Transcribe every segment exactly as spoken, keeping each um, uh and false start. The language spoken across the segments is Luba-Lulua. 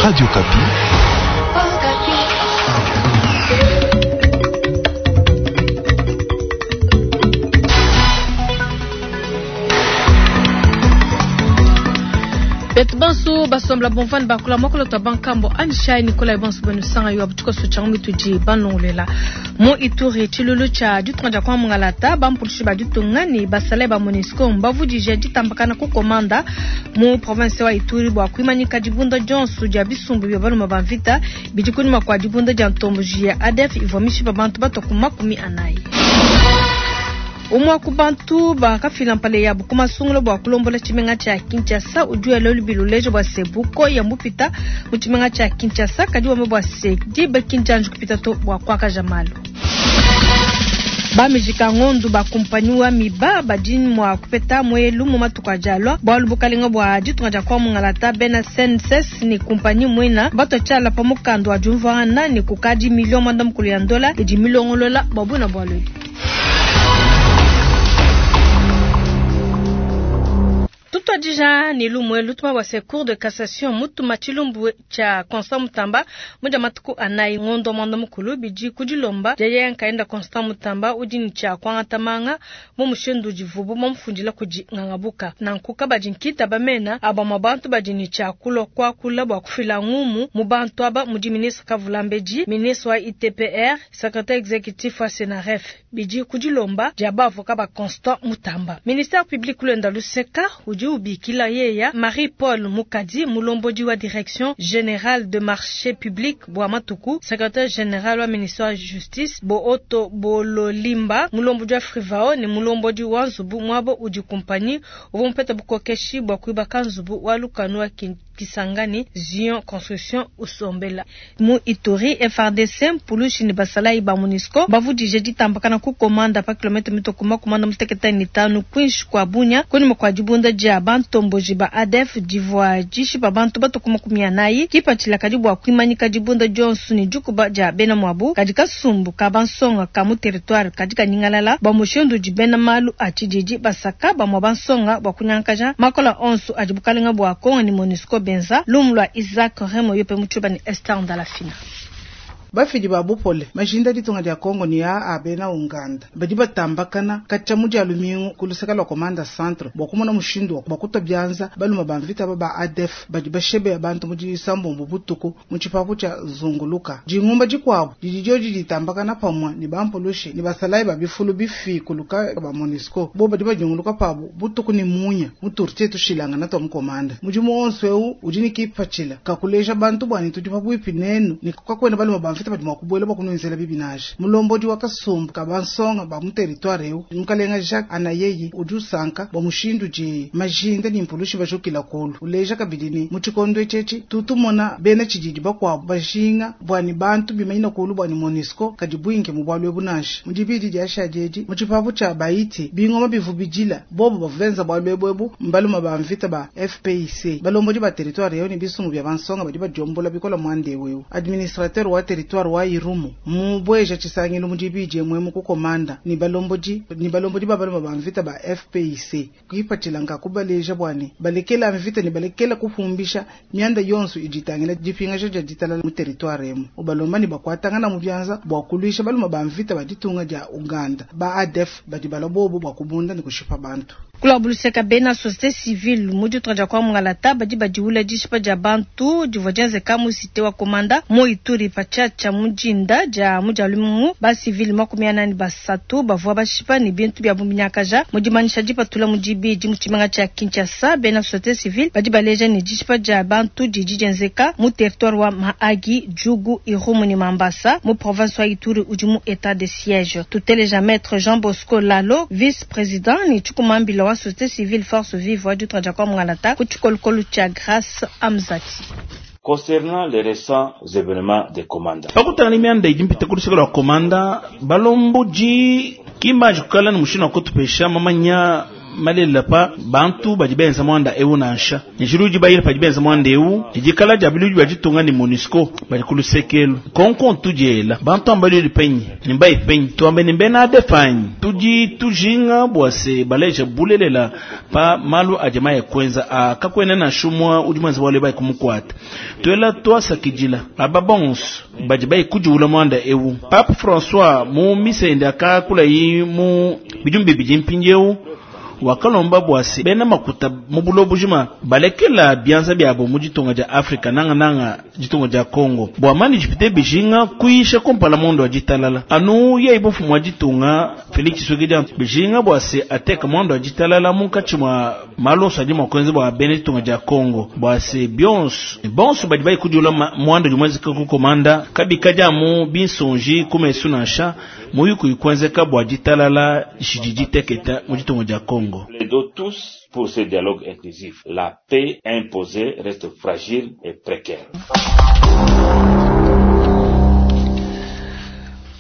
Radio Okapi. Betu banso basombela bomvani bakula mokolo twa bankambo anishai Nikolai bonso benu sanga yo abutuko so changu mituji banongolela mu Ituri tshilulu tsha ditunga dia kwa mungalata bampulushi ba ditunga ne basale ba MONUSCO mbavudije ditambakana ku komanda mu province wa Ituri bua kuimanyika dibunda dionso dia bisumbu bia baluma ba mvita bidi kunyima kua dibunda dia ntomboji ya A D F ivua mishipa bantu batua ku makumi anayi. Umwe ku bantu bakafila mpale ya bukuma sungula bua kulombola tshimenga tshia Kinshasa udi lelo biluleje bua se buko ya mupita mu tshimenga tshia Kinshasa kadi wame bua se dibe kinjanju kupita to bua kwakaja malu. Bamijika ngondu bakumpanywa miba badini mwa kupeta mwelu mu matuku ajalwa bwalu bukalenga bwa ditunga dia kwa mungalata bena S N S S ni kumpanyi mwina bato tshala pa mukando wa jumvana ni kukadi milioni mwanda mukulu ya ndola idi milongolola babuna bwalu. Tutwadija ni lumwe lutuma wa cour de cassation mutuma chilumbu cha Constant Mutamba muja matuku anayi ngondo mwanda mukulu biji kujilomba jaya nkaenda Constant Mutamba udi ni cha kwangata manga mu mushindu jivubu mumfundila kuji ngangabuka na nkuka baji nkita bamena aba mabantu baji ni cha kulo kwa kula bwa kufila ngumu mu bantu aba muji ministre Kavulambeji ministre wa I T P R secrétaire exécutif wa Senaref biji kujilomba jaba avocat ba Constant Mutamba ministère public kulenda luseka udi ubikila yeya Marie-Paul Mukadi mulombodi wa direction générale de marché public bwa matuku secrétaire général wa ministère wa justice Booto Bololimba mulombodi wa Frivao ni mulombodi wa Nzubu mwabo udi compagnie uvumpeta bukokeshi bwa kuibaka Nzubu wa lukanu wa Kisangani Zion Construction usombela mu Ituri F R D C mpulushi ni basala iba MONUSCO bavudije ditambakana ku komanda pa kilomita mitokuma komanda muteketa ni tano kwinshi kwa Bunya kuni kwa dibunda dia bantomboji ba A D F divwa jishi ba bantu batokuma kumia nayi kipatshila kadi bua kuimanyika dibunda dionso ni dikuba dia bena mwabu kadi kasumbu ka bansonga ka mu territoire kadi kanyingalala ba mushindu di bena malu a tshididi basaka ba mwa bansonga bua kunyankaja makola onso adi bukalenga bua Kongo ni MONUSCO benza lumu lwa Isaac Remo yope mutshuba ni Esther Ndalafina. Bafidi ba bupole majinda ditunga dia Kongo ni ya abena Uganda badi batambakana kacha mu dia lumingu kulusaka lwa komanda centre bwa kumona mushindu wa kuta byanza baluma bamvita ba A D F badi bashebe abantu mu disambombo butuku mu tshipapu tsha zunguluka jingumba jikwabo didijo ditambakana pamwa ni bampulushi ni basalai ba bifulu bifi kuluka ba MONUSCO bo badi bajunguluka pabo butuku ni munya muturtie tushilanga na tom komanda mujimu onso eu udi ni kipachila kakuleja bantu bwani tudi pabwipi nenu ni kukakwena baluma bamvita badi mwakubwela bakunwenzela bibinaje mulombodi wa kasumbu kabansonga ba mu territoire eu mukalenga Jacques Anayeyi udi usanka bwa mushindu je majinda ni mpulushi bajukila kolu uleja kabidi ni mu tshikondo etshetshi tutumona bena tshididi bakwabo bajinga bwani bantu bimanyina kolu bwani MONUSCO kadi bwinge mu bwalwe bunaje mu dibidi dia shadieji mu tshipapu tsha baiti bingoma bivubidila bobo bavuvenza bwalwe bwebu mbaluma ba mvita ba F P I C balombodi ba territoire eu ni bisumbu bya bansonga badi bajombola bikola mwande wewe administrateur wa territoire wa Irumu mubweja tshisangilu mudibije mwemu kukomanda ni balombodi ni balombodi babaluma ba mvita ba F P I C kuipatshila nka kubaleja bwani balekela mvita ni balekela kufumbisha mianda yonso iditangila dipinga ja ditalala mu territoire emu ubalomba ni bakwatangana mu byanza bwa kulwisha baluma ba mvita baditunga dia Uganda ba A D F badi balobobo bwa kubunda ni kushipa bantu kulabuluseka bena société civile mu ditunga dia kwa mungalata badi badiwula dishipa dia bantu divua dienzeka mu cité wa komanda mu Ituri patshiatshia mujinda dia mudia lumungu ba civile makumi anani basatu bavua bashipa ni bintu bia buminyakaja mudimanyisha dipatula mudibidi mu tshimenga tshia Kinshasa bena société civile badi baleja ni dishipa dia bantu didi dienzeka mu territoire wa Mahagi Djugu Irumu ni Mambasa mu province wa Ituri udi mu état de siège tuteleja maître Jean Bosco Lalo vice-président ni tshikumambila wa société civile force vive wa ditunga dia kwa mungalata ku tshikolokolo tshia Grâce Amzati. Concernant les récents événements de Komanda. Pakutana ni mianda idi mpita kulusaka lwa Komanda balomboji kimbaji kukala ni mushina wa kutupesha mamanya malelela pa bantu badi benza mwanda eu nansha njilu udi bayila padi benza mwanda eu dikala dia biludi bia ditunga ni MONUSCO badi ku lusekelu konko tudiela bantu ambalili penyi ni mbayi penyi tuambe ni mbena adefanyi tudi tujinga bua se baleja bulelela pa malu adi maye kwenza a kakwena na shumwa udi mwenza wale bayi kumukwata tuela twasakidila aba bonso badi bayi kudiula mwanda eu Pape François mu misende akakula yi mu bijumbi bidi mpindieu wakalomba bwase bena makuta mu bulo bujima balekela bianza byabo mu ditunga dia Afrika nanga nanga ditunga dia Congo bwa mani jipite bijinga kuisha kompala mondo wa ditalala anu yeyi bufumu wa ditunga Felix Tshisekedi bijinga bwase ateka mondo wa ditalala munkatshi mwa maloso adi mwakuenza bwa bena ditunga dia Congo bwase bionso bonso badi bayi kudiula mwando dimwezeka kukomanda kabika mu binsonji kumesu nansha muyuku ikuenzeka bwa ditalala jidi diteketa mu ditunga dia Congo. Plaidons tous pour ce dialogue inclusif. La paix imposée reste fragile et précaire.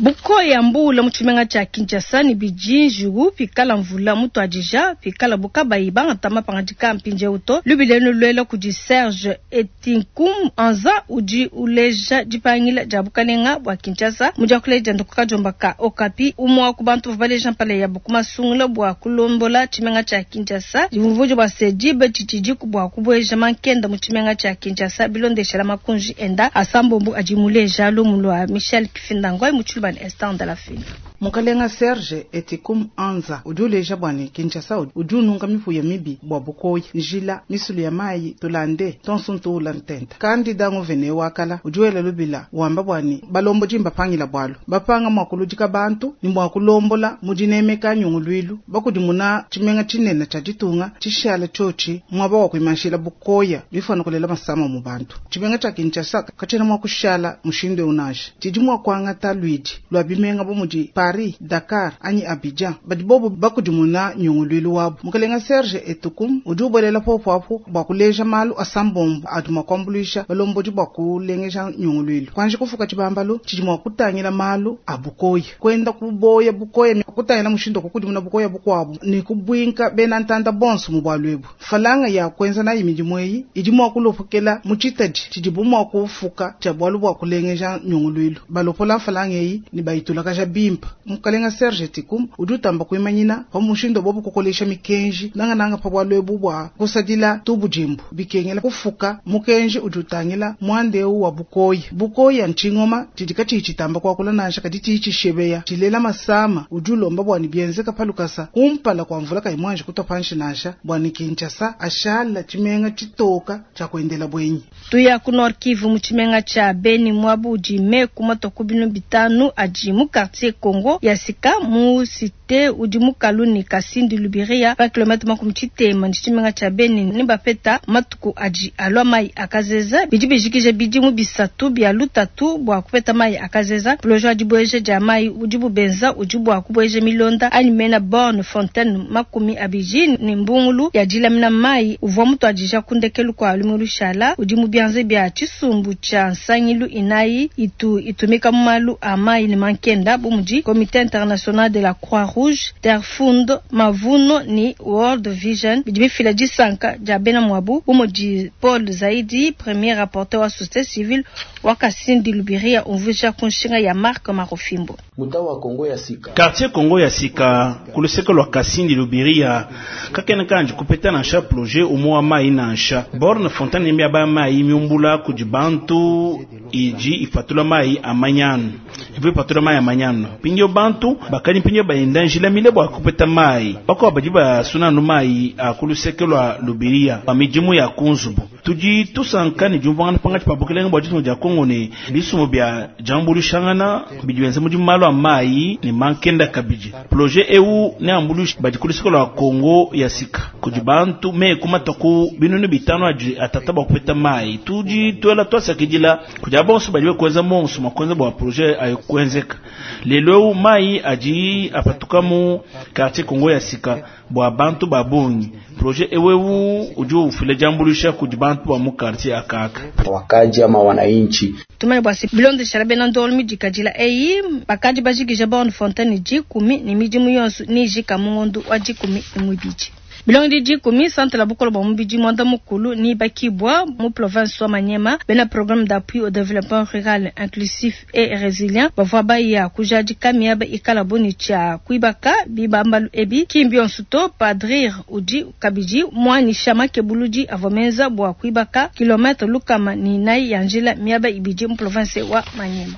Bukoya mbula mu tshimenga tshia Kinshasa ni bijinjiu pikala mvula mutu adija pikala bukabayi bangatama pangadika mpindieu to lubilenu luela kudi Serge Etinkum anza udi uleja dipangila dia bukalenga bua Kinshasa mudiakuleja nduku ka Okapi umwa ku bantu baleja mpala ya bukumasungula bua kulombola tshimenga tshia Kinshasa divumvujo bua sedibe tshitshidiku bua kubueja mankenda mu tshimenga tshia Kinshasa bilondeshela makunji enda asambombu adi muleja lumu lwa Michel Kifindangoi mu Instant de la fin. Mukalenga Serge Etikum Anza udi uleja bwani Kinshasa udi ununga mipuya mibi bwa bukoyi njila misulu ya mayi tulande tonso ula ntenta kandi dango vene wakala udi wela lubila wamba bwani balombo jimba pangila bwalo bapanga mwakuludika bantu ni mwakulombola mudinemeka nyungulwilu bakudimuna tshimenga tshinene tshia ditunga tshishala tshochi mwaba wa kuimanshila bukoya bifana kulela masama mu bantu tshimenga tshia Kinshasa katshena mwakushala mushindo unaje tshidi mwakuangata lwidi lwa bimenga bomudi Paris, Dakar, anyi Abidjan badi bobo bakudimuna nyungulwilu wabu mukalenga Serge Etukum udi ubolela popo apo bua kuleja malu asambombo adi mwakuambuluisha balombodi bua kulengeja nyungulwilu kwanje kufuka tshibambalu tshidi mwakutangila malu a bukoya kwenda kuboya bukoya kutangila mushindo kukudimuna bukoya bukwabu ni kubwinka bena ntanda bonso mu bwalwebu falanga ya kwenza nayi midimu eyi idi mwakulopokela mu tshitadi tshidi bu mwakufuka tshia bwalu bua kulengeja nyungulwilu balopola falanga eyi ni bayitulakaja bimpa mukalenga Serge Tikum udi utamba kuimanyina pa mushindo bobu kukolesha mikenji nangananga pa bwalwebu bwa kusadila tubujimbu bikengela kufuka mukenji udi utangila mwandeu wa bukoyi bukoyi ntshingoma tshidika tshitamba kwakula nansha kadi tshitshishebeya tshilela masama udi ulomba bwani bienzeka palukasa kumpala kwa mvula kayimwanje kutopanshi nansha bwani Kinshasa ashala tshimenga tshitoka tshia kuendela bwenyi tuya ku Nord Kivu mu tshimenga tshia Beni mwabu udi meku matoku binu bitanu adi mu quartier Congo ya sika mu cité udi mu Kaluni Kasindi Lubiria pa kilomètre makumi tshitema ni tshimenga tshia Beni ni bapeta matuku adi alwa mai akazeza bidi bijikije bidi mu bisatu bia lutatu bua kupeta mai akazeza projet adi bweje dia mai udi bubenza udi bua kubweje milonda ani mena borne fontaine makumi abiji ni mbungulu ya dilamina mai uvua mutu adija kundekelu kwa lumulu shala udi mu bianze bia tshisumbu tshia nsangilu inayi itu itumika mu malu a mai ni mankenda bu mudi Comité international de la Croix-Rouge, Terfund, Mavuno ni World Vision bidi bifila disanka dia bena mwabu umudi Paul Zaidi premier rapporteur wa société civile wa Kasindi Lubiria umvuja kunshinga ya Marc Marofimbo. Mutawa Kongo ya sika quartier Kongo ya sika kuluseka lwa Kasindi Lubiria kakena kanji kupeta nansha projet umwa mai nansha borne fontaine mbia ba mai miumbula kujibantu iji ifatula mai amanyano ivu ipatula mai amanyano pinyo bantu bakali pinyo baenda njila mile bwa kupeta mai bako badi basunanu mai akuluseke lwa Lubiria pa mijimu ya kunzubu tudi tusankani jumvangana pangati pa bukelenge bwa ditunga dia Kongo ne bisumu bia jambulushangana bidi benza mudimu malu a mai ne mankenda kabidi projet eu ne ambulushi badi kuluseke lwa Kongo ya sika kudi bantu me kumataku binunu bitano adi atata bwa kupeta mai tudi twela twasakidila kudi abonso badi bekweza monso makwenza bwa projet ayo kwenzeka lelo mai adi apatuka mu quartier Kongo ya sika bwa bantu babongi projet ewewu udi ufile jambulisha kudi bantu ba mu quartier akaka wakaji ama wananchi tumai bwasi bilonde sharabe na ndolmi dikadila eyi bakadi bajikije borne fontaine jikumi ni midimu yonso ni jika mungondu wa jikumi ni mwibiji. Bilongedi dikumi centre la bukole bua mubidi muanda mukulu ni bakibwa mu province wa Maniema bena programme d'appui au développement rural inclusif et résilient bavua baya kujadika miaba ikala boni tshia kuibaka bibambalu ebi kimbi onsuto padrir udi kabidi muanyisha makebuludi avua menza bua kuibaka kilometre lukama ni inayi ya njila miaba ibidi mu province wa Maniema.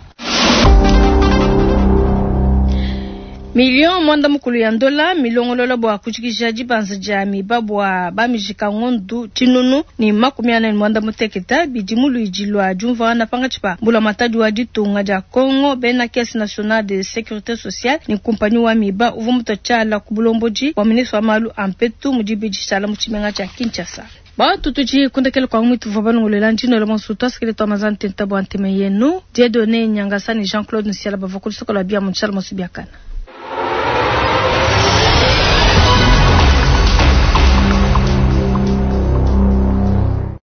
Million mwanda mukulu ya ndola milongolola bua kujikija dibanza dia miba bua bamijika ngondu tshinunu ni makumi ane mwanda muteketa bidi mu luidi lua diumvuangana pangatshi pa mbula matadi wa ditunga dia Congo bena caisse nationale de sécurité sociale ni kumpanyi wa miba uvua mutotshala ku bulombodi wa ministre wa malu a mpetu mu dibidi tshala mu tshimenga tshia Kinshasa. Batu tudi kundekele kwa mwitu vwa balongolela ndino la monsutu asikele twa mazante ntabo anteme yenu Dieudonné Nyangasa ni Jean-Claude Nsiala bava kulusoko lwa bia mu tshala mosubiakana.